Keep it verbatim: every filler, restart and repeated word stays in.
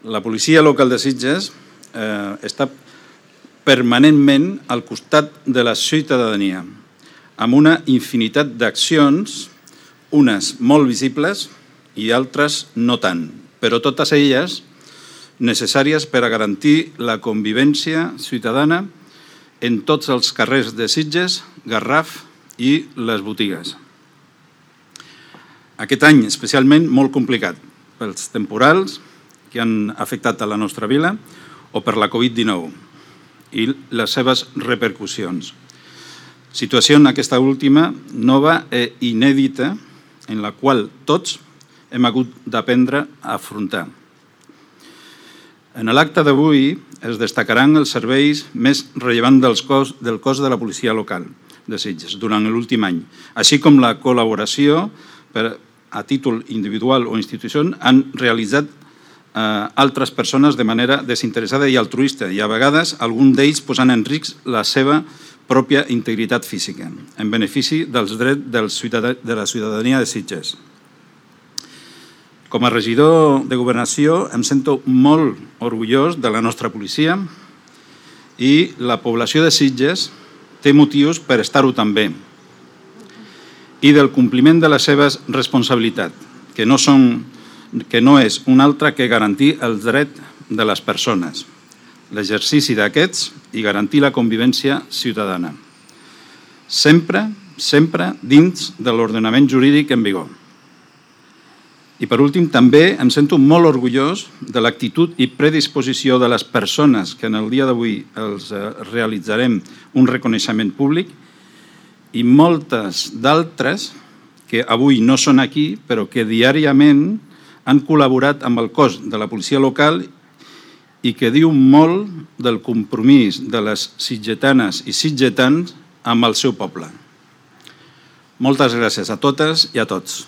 La policia local de Sitges eh, està permanentment al costat de la ciutadania, amb una infinitat d'accions, unes molt visibles i altres no tant, però totes elles necessàries per a garantir la convivència ciutadana en tots els carrers de Sitges, Garraf i les botigues. Aquest any especialment molt complicat pels temporals que han afectat a la nostra vila o per la Covid dinou i les seves repercussions. Situació en aquesta última nova i inèdita en la qual tots hem hagut d'aprendre a afrontar. En l'acte d'avui es destacaran els serveis més rellevants del cos, del cos de la policia local de Sitges durant l'últim any, així com la col·laboració per, a títol individual o institució han realitzat eh, altres persones de manera desinteressada i altruista i a vegades algun d'ells posant en risc la seva pròpia integritat física en benefici dels drets del ciutadà, de la ciutadania de Sitges. Com a regidor de Governació em sento molt orgullós de la nostra policia i la població de Sitges té motius per estar-ho també i del compliment de les seves responsabilitats, que no, són, que no és un altre que garantir els drets de les persones, l'exercici d'aquests i garantir la convivència ciutadana. Sempre, sempre dins de l'ordenament jurídic en vigor. I per últim, també em sento molt orgullós de l'actitud i predisposició de les persones que en el dia d'avui els realitzarem un reconeixement públic i moltes d'altres que avui no són aquí, però que diàriament han col·laborat amb el cos de la policia local i que diu molt del compromís de les sitgetanes i sitgetans amb el seu poble. Moltes gràcies a totes i a tots.